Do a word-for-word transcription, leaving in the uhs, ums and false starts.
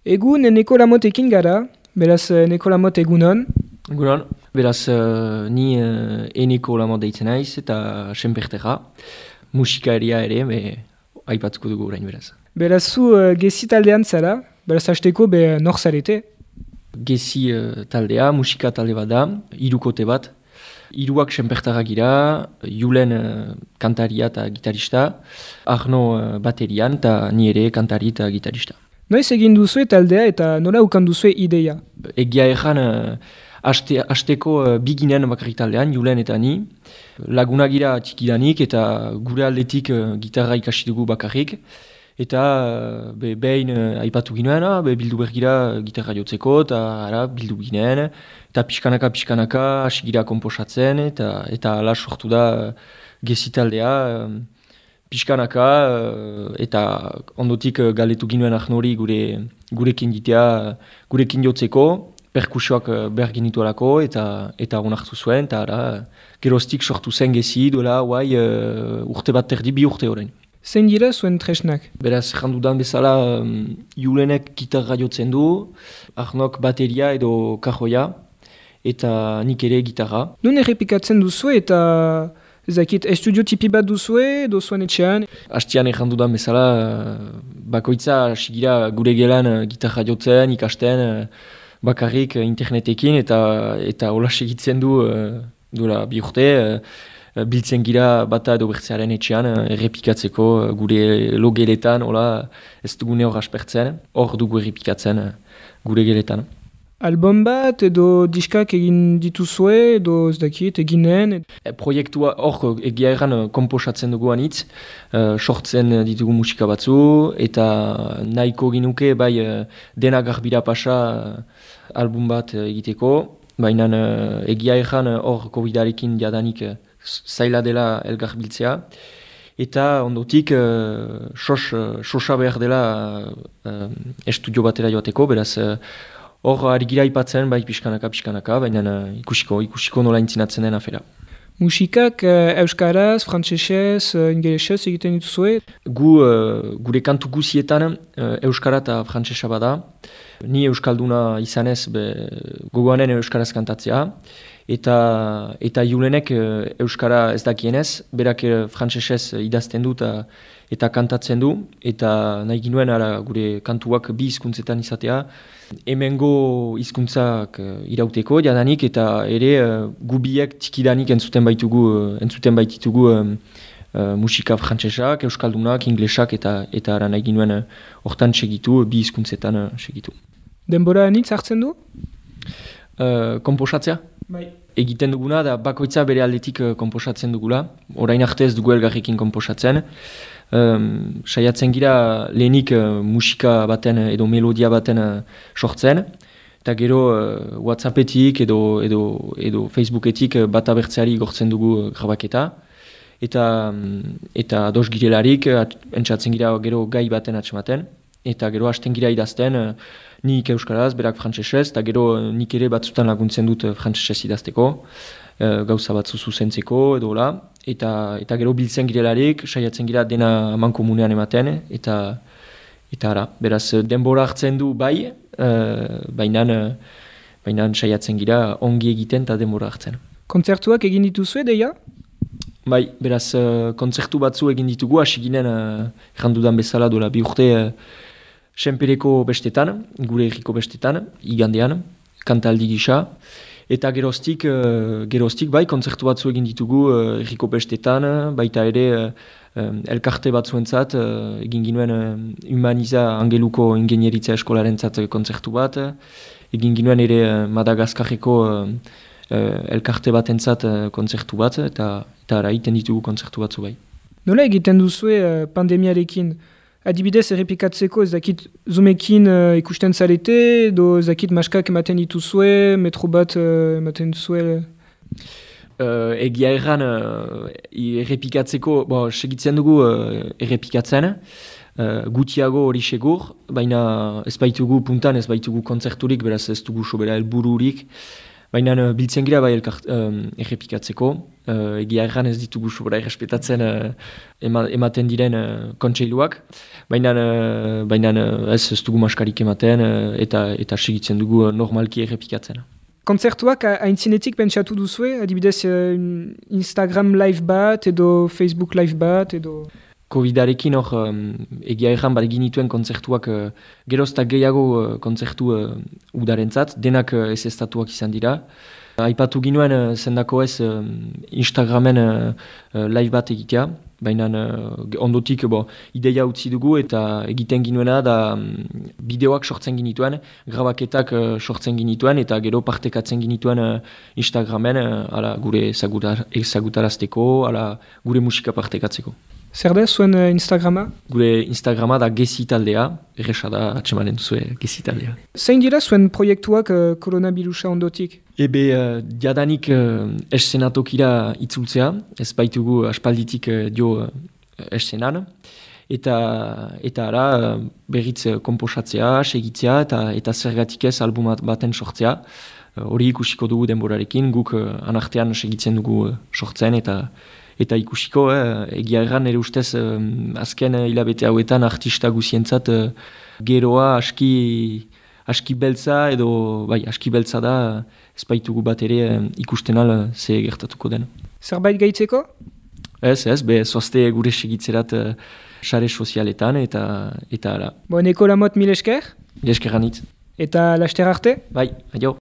Egun Nikola Motekin gara, beraz Nikola Mot egunon. Egunon, beraz uh, ni uh, Eneko Lamot deitzen naiz eta senpertera, musikaria ere, be, aipatuko dugu orain beraz. Beraz zu uh, gezi taldean zara, beraz hasteko be nor zarete? Gezi uh, taldea, musika talde bat da, hirukote bat. Hiruak senpertara gira, Julen uh, kantaria eta gitarista, Arno uh, baterian eta ni ere kantari eta gitarista. Noiz egin duzue taldea eta nola ukan duzue ideia? Egia ezan, uh, aste, asteko uh, biginen bakarrik taldean, Julen eta ni. Laguna gira txikidanik eta gure aldetik uh, gitarra ikasi dugu bakarrik. Eta uh, be, behin uh, aipatu ginoen, ah, be, bildu bergira gitarra jotzeko, eta ara, bildu ginen. Eta pixkanaka, pixkanaka, hasi gira komposatzen, eta, eta ala sortu da uh, gezi taldea. Uh, Piskanaka, eta ondotik galetu ginuen Arnori gure, gurekin ditea, gurekin jotzeko, perkusioak behar ginitu alako, eta, eta onartu zuen, eta ara, geroztik sortu zen gezi, duela, guai, uh, urte bat terdi, bi urte horrein. Zein dira zuen tresnak? Beraz, jandudan bezala, um, Julenek gitarra jotzen du, Arnok bateria edo kajoia, eta nik ere gitarra. Nun errepikatzen duzu eta... Ezakit, estudio tipi bat duzue, dozuen etxean? Hastian egin dudan bezala, bakoitza hasi gira gure gelan gitarra jotzen, ikasten, bakarrik internetekin, eta eta hola segitzen du duela bi urte, biltzen gira bata edo bertzearen etxean, errepikatzeko gure logeletan, hola ez dugune hor aspertzen, hor dugu errepikatzen gure geletan. Album bat edo diskak egin dituzue edo ez dakit eginen? E, proiektua hor egia erran komposatzen dugu anitz, uh, sortzen ditugu musika batzu eta nahiko ginuke bai uh, dena garbira pasa uh, album bat uh, egiteko, baina uh, egia erran hor uh, covidarekin jadanik uh, zaila dela elgar biltzea. Eta ondotik uh, sos, uh, sosa behar dela uh, estudio batera joateko, beraz uh, hor ari gira ipatzen, bai pixkanaka, pixkanaka, baina uh, ikusiko, ikusiko nola intzinatzen den afera. Musikak uh, euskaraz, frantsesez, uh, ingelesez egiten dituzue? Gu, uh, gure kantu guzietan uh, euskara eta frantsesa bada. Ni euskalduna izanez be, gogoanen euskaraz kantatzea. Eta, eta Julenek uh, euskara ez dakienez, berak uh, frantsesez idazten du eta, eta kantatzen du. Eta nahi ginuen ara, gure kantuak bi hizkuntzetan izatea. Hemengo hizkuntzak uh, irauteko jadanik eta ere uh, gubiek txikidanik entzuten baitugu, uh, entzuten baititugu um, uh, musika frantsesak, euskaldunak, inglesak eta eta ara nahi ginuen hortan uh, segitu, bi hizkuntzetan uh, segitu. Denbora anitz hartzen du? Uh, komposatzea? Bai. Egiten duguna da bakoitza bere aldetik uh, komposatzen dugula. Orain arte ez dugu elgarrekin komposatzen. Um, saiatzen gira lehenik uh, musika baten edo melodia baten uh, sortzen, eta gero uh, WhatsAppetik edo, edo, edo Facebooketik uh, bat abertzeari gortzen dugu uh, grabaketa, eta, um, eta dos girelarik uh, entzatzen gira gero gai baten atxematen, eta gero hasten gira idazten, uh, nik euskaraz, berak frantsesez, eta gero uh, nik ere batzutan laguntzen dut uh, frantsesez idazteko, uh, gauza batzu zuzentzeko edo hola. Eta, eta gero biltzen girelarik, saiatzen gira dena mankomunean ematen, eta eta ara, beraz denbora hartzen du bai, uh, baina uh, saiatzen gira ongi egiten eta denbora hartzen. Kontzertuak egin dituzue, deia? Bai, beraz uh, kontzertu batzu egin ditugu, hasi ginen uh, errandudan bezala dola bi urte uh, senpereko bestetan, gure herriko bestetan, igandean, kantaldi gisa. Eta geroztik, uh, geroztik bai, kontzertu batzu egin ditugu uh, erriko bestetan, baita ere uh, um, elkarte batzuentzat, uh, egin ginuen uh, Humaniza Angeluko ingenieritza eskolarentzat kontzertu bat, egin ginuen ere uh, Madagaskarreko uh, uh, elkarte batentzat uh, kontzertu bat, eta eta ara egiten ditugu kontzertu batzu bai. Nola egiten duzue uh, pandemiarekin? Adibidez errepikatzeko ez dakit Zoomekin uh, ikusten zarete, edo ez dakit maskak ematen dituzue, metro bat uh, ematen duzue? Uh, egia erran uh, errepikatzeko, bo, segitzen dugu uh, errepikatzen, uh, gutiago hori segur, baina ez baitugu puntan, ez baitugu kontzerturik, beraz ez dugu sobera helbururik, Baina uh, biltzen gira bai elkart, um, errepikatzeko, uh, egia erran ez ditugu sobra errespetatzen uh, ema, ematen diren uh, kontseiluak, baina, uh, baina uh, ez ez dugu maskarik ematen uh, eta, eta segitzen dugu uh, normalki errepikatzen. Kontzertuak haintzinetik pentsatu duzue, adibidez uh, Instagram live bat edo Facebook live bat edo... Covidarekin hor um, egia erran bat egin dituen kontzertuak uh, geroztak gehiago uh, kontzertu uh, udarentzat, denak uh, ez estatuak izan dira. Uh, aipatu ginuen uh, zendako ez uh, Instagramen uh, uh, live bat egitea, baina uh, ondotik bo, ideia utzi dugu eta egiten ginuena da um, bideoak sortzen ginituen, grabaketak uh, sortzen ginituen eta gero partekatzen ginituen uh, Instagramen uh, ala, gure ezagutarazteko, ala, gure musika partekatzeko. Zer da zuen uh, Instagrama? Gure Instagrama da Gezi taldea, erresa da atxemanen duzue Gezi taldea. Zein dira zuen proiektuak uh, koronabirusa ondotik? Ebe, uh, diadanik uh, eszenatokira itzultzea, ez baitugu aspalditik uh, dio uh, eszenan, eta, eta ara uh, berriz uh, komposatzea, segitzea, eta, eta zergatik ez album baten sortzea. Hori uh, ikusiko dugu denborarekin, guk uh, anartean segitzen dugu uh, sortzen, eta Eta ikusiko, eh, egia erran, ere ustez, eh, azken hilabete hauetan artista guzientzat eh, geroa aski, aski beltza edo, bai, aski beltza da, ez baitugu bat ere eh, ikusten al ze gertatuko den. Zerbait gaitzeko? Ez, ez, be, zoazte gure segitzerat eh, sare sozialetan eta, eta ara. Bo, neko lamot mil esker? Mil eskeranitz. Eta laster arte? Bai, adio.